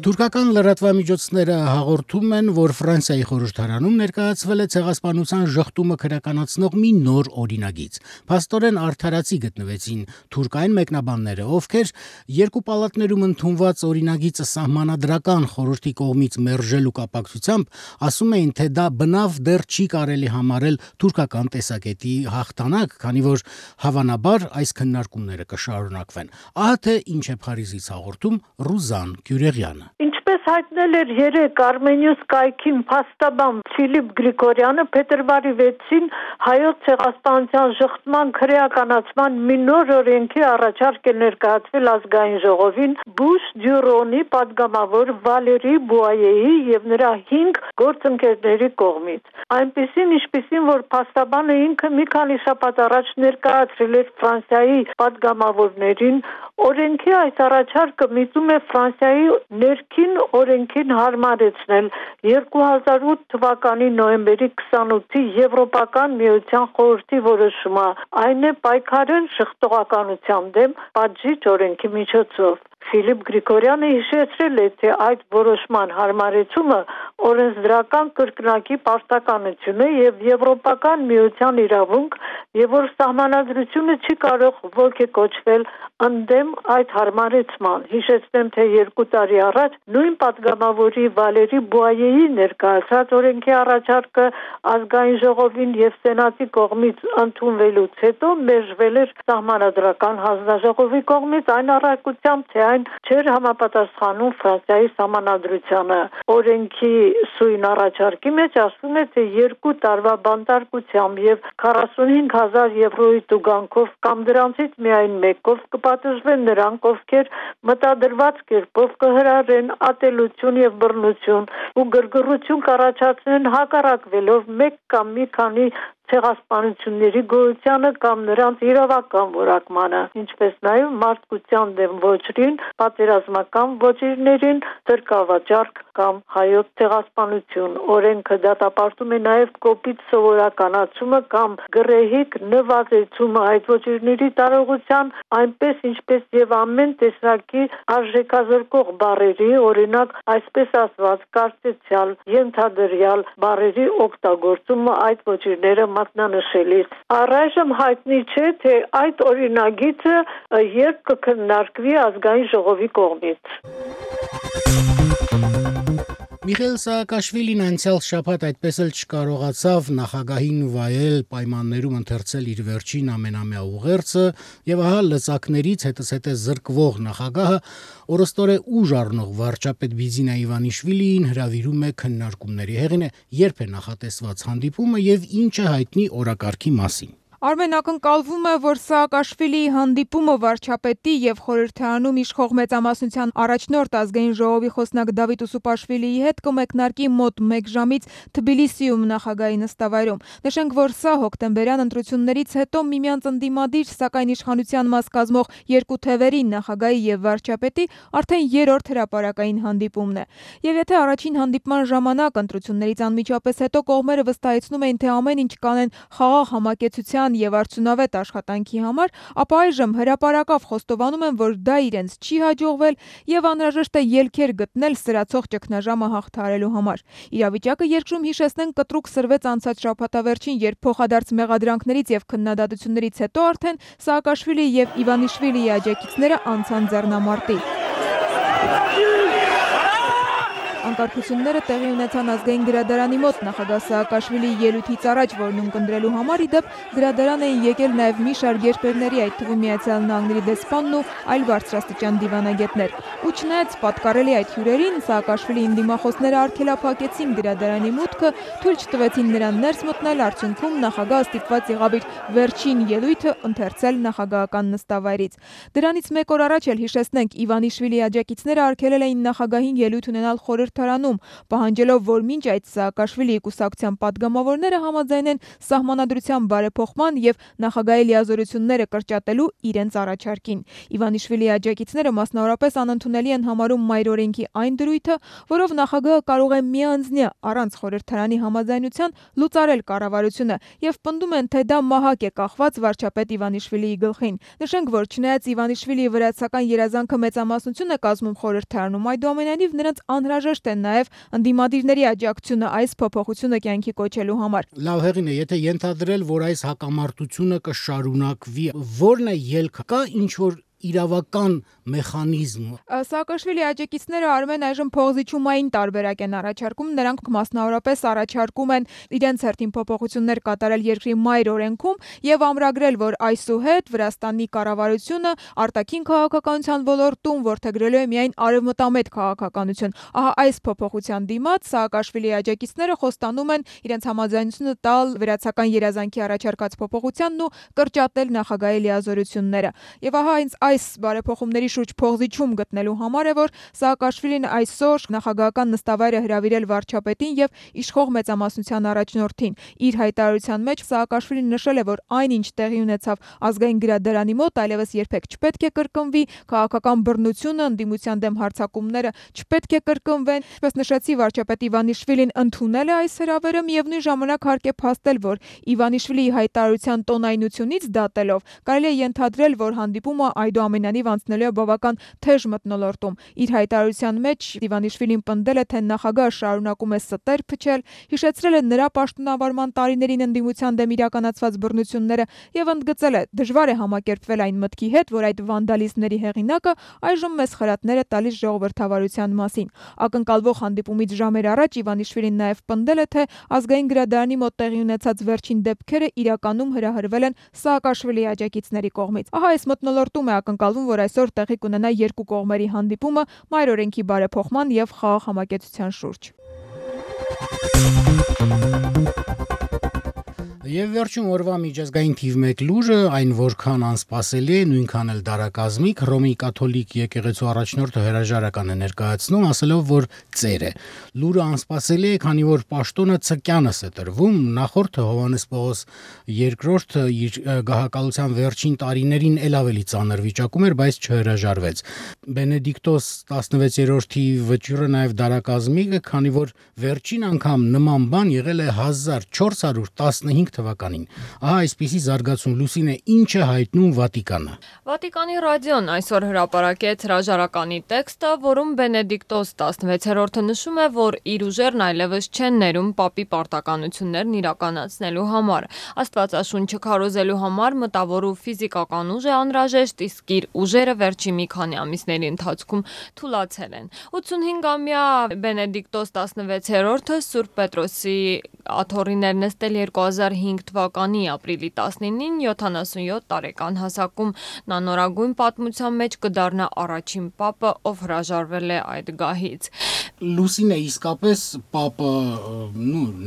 Թուրքական լրատվամիջոցները հաղորդում են, որ Ֆրանսիայի խորհրդարանում ներկայացվել է ցեղասպանության ժխտումը քրեականացնող մի նոր օրինագիծ։ Փաստորեն արդարացի գտնվեցին թուրքային մեկնաբանները, ովքեր երկու պալատներում ընդունված օրինագիծը սահմանադրական խորհրդի կողմից մերժելու կապակցությամբ ասում էին, թե դա բնավ դեռ չի կարելի համարել թուրքական տեսակետի հաղթանակ, քանի որ հավանաբար այս քննարկումները կշարունակվեն։ Ահա թե ինչ է Փարիզից հաղորդում Ռուզան Կյուրեղյանը։ Ինչպես հայտնել էր երեկ Armenius կայքին փաստաբան Ֆիլիպ Գրիգորյանը, փետրվարի 6-ին հայոց ցեղասպանության ժխտման քրեականացման մի նոր օրենքի առաջարկ է ներկայացվել ազգային ժողովին Բուշ Դյուրոնի պատգամավոր Վալերի Բուայեի եւ նրա 5 գործընկերների կողմից։ Այնպիսին, ինչպիսին որ փաստաբանը ինքը մի քանի շաբաթ առաջ ներկայացրել էր Ֆրանսիայի պատգամավորներին, օրենքի այս առաջարկը միտում է Ֆրանսիայի ներքին օրենքին հարմարեցնել 2008 թվականի նոյեմբերի 28-ի Եվրոպական միության խորհրդի որոշումը, այն է պայքարել ժխտողականության դեմ պատժիչ օրենքի միջոցով։ Ֆիլիպ Գրիգորյանը հիշեցրել է, թե այդ որոշման հարմարեցումը օրենսդրական կրկնակի պարտականություն է եւ Եվրոպական միության իրավունք, եւ որ սահմանադրությունը չի կարող ոգեկոչվել ընդդեմ այդ հարմարեցման։ Հիշեցնեմ, թե 2 տարի առաջ նույն պատգամավորի Վալերի Բուայեի ներկայացած օրենքի առաջարկը ազգային ժողովին եւ սենատի կողմից ընդունվելուց հետո մերժվել էր սահմանադրական հանձնաժողովի կողմից այն առարկությամբ, թե այն չէր համապատասխանում Ֆրանսիայի սահմանադրությանը։ Օրենքի սույն առաջարկի մեջ ասվում է, թե 2 տարվա բանտարկությամբ եւ 45,000 եվրոյի տուգանքով կամ դրանցից միայն մեկով կպատժվեն նրանք, ովքեր մտադրված կերպով կհրարեն ատելություն եւ բռնություն ու գրգռություն կառաջացնեն հակառակվելով մեկ կամ մի քանի ցեղասպանությունների գոյությանը կամ նրանց իրավական որակմանը, ինչպես նաև մարդկության դեմ ոչրին, պատերազմական ոչիրներին, սրկավաճառք կամ հայոց ցեղասպանություն։ Օրենքը դատապարտում է նաև կոպիտ սովորականացումը կամ գռեհիկ նվազեցումը այդ ոչիրների տարողության, այնպես ինչպես եւ ամեն տեսակի արժեքազրկող բառերի, օրինակ այսպես ասված կարծեցյալ, ենթադրյալ բառերի օգտագործումը այդ ոչիրները մատնանշելիս։ Առայժմ հայտնի չէ, թե այդ օրինագիծը երբ կքննարկվի ազգային ժողովի կողմից։ Միխայիլ Սաակաշվիլին անցյալ շաբաթ այդպես էլ չկարողացավ նախագահին վայել պայմաններում ընթերցել իր վերջին ամենամյա ուղերձը, եւ ահա լծակներից հետզհետե զրկվող նախագահը օրստորե ուժ առնող վարչապետ Բիձինա Իվանիշվիլիին հրավիրում է քննարկումների հեղինը, երբ է նախատեսված հանդիպումը եւ ինչ է հայտնի օրակարգի մասին։ Արմեն, ակնկալվում է, որ Սաակաշվիլիի հանդիպումը վարչապետի եւ խորհրդարանում իշխող մեծամասնության առաջնորդ ազգային ժողովի խոսնակ Դավիթ Ուսուպաշվիլիի հետ կմեկնարկի մոտ 1 ժամից Թբիլիսիում նախագահի նստավայրում։ Նշենք, որ սա հոկտեմբերյան ընտրություններից հետո միմյանց ընդդիմադիր, սակայն իշխանության մաս կազմող երկու թևերի նախագահի եւ վարչապետի արդեն 3-րդ հրապարակային հանդիպումն է։ Եվ եթե առաջին հանդիպման ժամանակ ընտրություններից անմիջապես հետո կողմերը վստահեցնում էին, թե ամեն ինչ կանեն խաղաղ համակեցության եւ արդյունավետ աշխատանքի համար, ապա այժմ հրապարակավ խոստովանում են, որ դա իրենց չի հաջողվել եւ անհրաժեշտ է ելքեր գտնել սրացող ճգնաժամը հաղթահարելու համար։ Իրավիճակը երկրում հիշեցնենք կտրուկ սրվեց անցած շաբաթավերջին, երբ փոխադարձ մեղադրանքներից եւ քննադատություններից հետո արդեն Սաակաշվիլի եւ Իվանիշվիլիի աջակիցները անցան ձեռնամարտի։ Անկարգությունները տեղի ունեցան ազգային գրադարանի մոտ նախագահ Սաակաշվիլիի ելույթից առաջ, որն ունկնդրելու համար ի դեպ գրադարան էին եկել նաև մի շարք երկրների, այդ թվում Միացյալ Նահանգների դեսպանն ու այլ բարձրաստիճան դիվանագետներ։ Ու չնայած պատկառելի այդ հյուրերին, Սաակաշվիլիի դիմախոսները արգելափակեցին գրադարանի մուտքը, թույլ չտվեցին նրան ներս մտնել, արդյունքում նախագահը ստիպված եղավ իր վերջին ելույթը ընթերցել նախագահական նստավայրից։ Դրանից 1 օր առաջ էլ հիշեցնենք, Իվանիշվիլիի աջակիցները արգելել էին նախագահին ելույթ ունենալ խորհրդի խորհրդարանում, պահանջելով, որ մինչ այդ Սաակաշվիլիի կուսակցության պատգամավորները համաձայնեն սահմանադրության բարեփոխման եւ նախագահի լիազորությունները կրճատելու իրենց առաջարկին։ Իվանիշվիլիի աջակիցները մասնավորապես անընդունելի են համարում մայր օրենքի այն դրույթը, որով նախագահը կարող է միանձնյա առանց խորհրդարանի համաձայնության լուծարել կառավարությունը եւ պնդում են, թե դա մահակ է կախված վարչապետ Իվանիշվիլիի գլխին։ Նշենք, որ չնայած Իվանիշվիլիի վրացական երազանքը մեծամասնություն է կազմում խորհրդարանում, այդուամենայնիվ նրանց անհրաժեշտ է նաեւ ընդդիմադիրների աջակցությունը այս փոփոխությունը կյանքի կոչելու համար։ Լավ հեղին է, եթե ենթադրել, որ այս հակամարտությունը կշարունակվի, ո՞րն է ելքը, կա ինչ-որ իրավական մեխանիզմ։ Սաակաշվիլի աջակիցները Արմեն այժմ փողզիջումային տարբերակ են առաջարկում, նրանք մասնավորապես առաջարկում են իրենց հերթին փոփոխություններ կատարել երկրի մայր օրենքում եւ ամրագրել, որ այսուհետ Վրաստանի կառավարությունը արտաքին քաղաքականության ոլորտում որդեգրելու է միայն արևմտամետ քաղաքականություն։ Ահա այս փոփոխության դիմաց Սաակաշվիլի աջակիցները խոստանում են իրենց համաձայնությունը տալ վրացական երազանքի առաջարկած փոփոխությանն ու կրճատել նախագահի լիազորությունները։ Եվ ահա այս բարեփոխումների շուրջ փողզիջում գտնելու համար է, որ Սաակաշվիլին այսօր նախագահական նստավայրը հրավիրել վարչապետին եւ իշխող մեծամասնության առաջնորդին։ Իր հայտարարության մեջ Սաակաշվիլին նշել է, որ այնինչ տեղի ունեցավ ազգային գրադարանի մոտ այլևս երբեք չպետք է կրկնվի, քաղաքական բռնությունը, ընդդիմության դեմ հարձակումները չպետք է կրկնվեն։ Ինչպես նշեցի, վարչապետ Իվանիշվիլին ընդունել է այս հրավերը, միևնույն ժամանակ հարկ է փաստել, որ Իվանիշվիլիի հայտարարության տոնայնությունից դատելով կարելի է ենթադրել, որ հանդիպումը այդուամենայնիվ անցնելու է բավական թեժ մթնոլորտում։ Իր հայտարարության մեջ Իվանիշվիլին պնդել է, թե նախագահը շարունակում է ստեր փչել, հիշեցրել է նրա պաշտոնավարման տարիներին ընդդիմության դեմ իրականացված բռնությունները եւ ընդգծել է, դժվար է համակերպվել այն մտքի հետ, որ այդ վանդալիզմների հեղինակը այժմ մեծ խրատներ է տալիս ժողովրդավարության մասին։ Ակնկալվող հանդիպումից ժամեր առաջ Իվանիշվիլին նաեւ պնդել է, թե ազգային գրադարանի մոտ տեղի ունեցած վերջին դեպքերը իրականում հրահրվել են Սաակաշվիլիի աջակիցների կողմից։ Ահա այս մթնոլորտում է ակնկալվում, որ այսօր տեղի կունենա երկու կողմերի հանդիպումը մայր օրենքի բարեփոխման եւ խաղաղ համակեցության շուրջ։ Եվ վերջում օրվա միջազգային թիվ 1 լուրը, այն որքան անսպասելի է, նույնքան էլ դարակազմիկ, Հռոմի կաթոլիկ եկեղեցու առաջնորդը հրաժարական է ներկայացնում, ասելով, որ ծեր է։ Լուրը անսպասելի է, քանի որ պաշտոնը ցկյանս է տրվում, նախորդը Հովհաննես Պողոս II իր գահակալության վերջին տարիներին էլ ավելի ծանր վիճակում էր, բայց չհրաժարվեց։ Բենեդիկտոս 16-րդի վճիռը նաև դարակազմիկ է, քանի որ վերջին անգամ նման բան եղել է 1415 թվականին։ Ահա այսպիսի զարգացում Լուսինե ինչ է հայտնում Վատիկանը։ Վատիկանի ռադիոն այսօր հրապարակեց հրաժարականի տեքստը, որում Բենեդիկտոս 16-րդը նշում է, որ իր ուժերն այլևս չեն ներում պապի պարտականություններն իրականացնելու համար։ Աստվածաշունչը քարոզելու համար մտավոր ու ֆիզիկական ուժ է անհրաժեշտ, իսկ իր ուժերը վերջի մի քանի ամիսների ընթացքում թուլացել են։ 85-ամյա Բենեդիկտոս 16-րդը Սուրբ Պետրոսի աթոռիներ նստել 2005 թվականի ապրիլի 19-ին 77 տարեկան հասակում նա նորագույն պատմության մեջ կդառնա առաջին պապը, ով հրաժարվել է այդ գահից։ Լուսինե, իսկապես պապը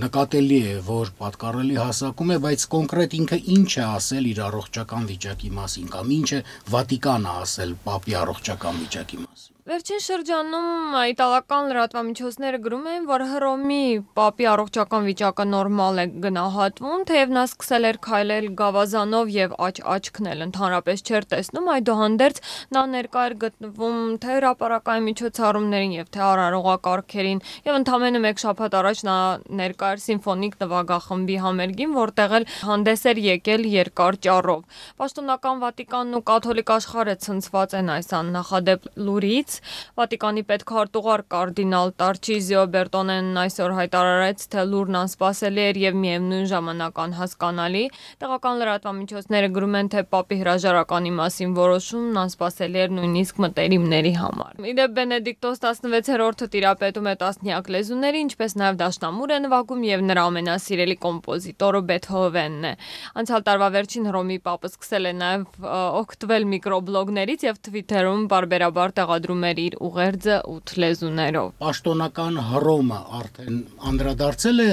նկատելի է, որ պատկառելի հասակում է, բայց կոնկրետ ինքը ինչ է ասել իր առողջական վիճակի մասին, կամ ինչ է Վատիկանը ասել պապի առողջական վիճակի մասին։ Վերջին շրջանում իտալական լրատվամիջոցները գրում են, որ Հռոմի պապի առողջական վիճակը նորմալ է գնահատվում, թեև նա սկսել էր քայլել գավազանով եւ աչքն էլ ընդհանրապես չէր տեսնում, այդուհանդերձ նա ներկա էր գտնվում թե հրապարակային միջոցառումներին եւ թե արարողակարգերին, եւ ընդամենը մեկ շաբաթ առաջ նա ներկա էր սիմֆոնիկ նվագախմբի համերգին, որտեղ էլ հանդես էր եկել երկար ճառով։ Պաշտոնական Վատիկանն ու կաթոլիկ աշխարհը ցնցված են այս աննախադեպ լուրից։ Վատիկանի պետքարտուղար կարդինալ Տարչիզիո Բերտոնեն այսօր հայտարարեց, թե լուրն անսպասելի էր եւ միևնույն ժամանակ անհասկանալի։ Տեղական լրատվամիջոցները գրում են, թե պապի հրաժարականի մասին որոշումն անսպասելի էր նույնիսկ մտերիմների համար։ Իդեպ Բենեդիկտոս 16-րդը տիրապետում է տասնյակ լեզուների, ինչպես նաեւ դաշնամուր է նվագում եւ նրա ամենասիրելի կոմպոզիտորը Բեթհովենն է։ Անցյալ տարվա վերջին Հռոմի պապը սկսել է նաեւ օգտվել միկրոբլոգներից եւ Twitter-ում բարբերաբար տեղադրում էր իր ուղերձը 8 լեզուներով։ Պաշտոնական Հռոմը արդեն անդրադարձել է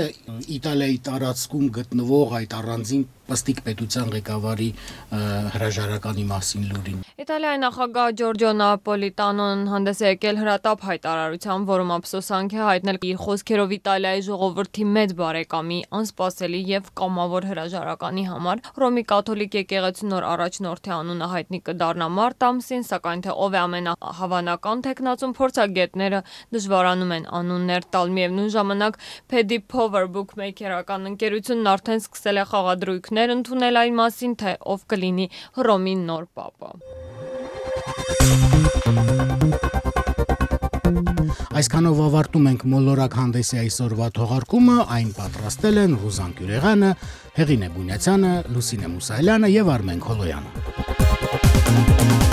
Իտալիայի տարածքում գտնվող այդ առանձին պստիկ պետության ղեկավարի հրաժարականի մասին լուրին։ Իտալիայի նախագահ Ջորջո Նապոլիտանոն հանդես է եկել հրատապ հայտարարությամբ, որում ափսոսանք է հայտնել իր խոսքերով Իտալիայի ժողովրդի մեծ բարեկամի անսպասելի եւ կամավոր հրաժարականի համար։ Հռոմի կաթոլիկ եկեղեցու նոր առաջնորդի անունը հայտնի կդառնա մարտ ամսին, սակայն թե ով է ամենահավանական թեկնածուն, փորձագետները դժվարանում են անուններ տալ։ Միևնույն ժամանակ Paddy Power Bookmaker-ական ընկերությունն արդեն սկսել է խաղադրույքներ ընդունել այն մասին, թե ով կլինի Հռոմի նոր պապը։ Այսքանով ավարտում ենք մոլորակ հանդեսի այսօրվա թողարկումը, այն պատրաստել են Ռուզան Գյուրեղյանը, Հեղինե Բունյացյանը, Լուսինե Մուսայելյանը եւ Արմեն Քոլոյանը։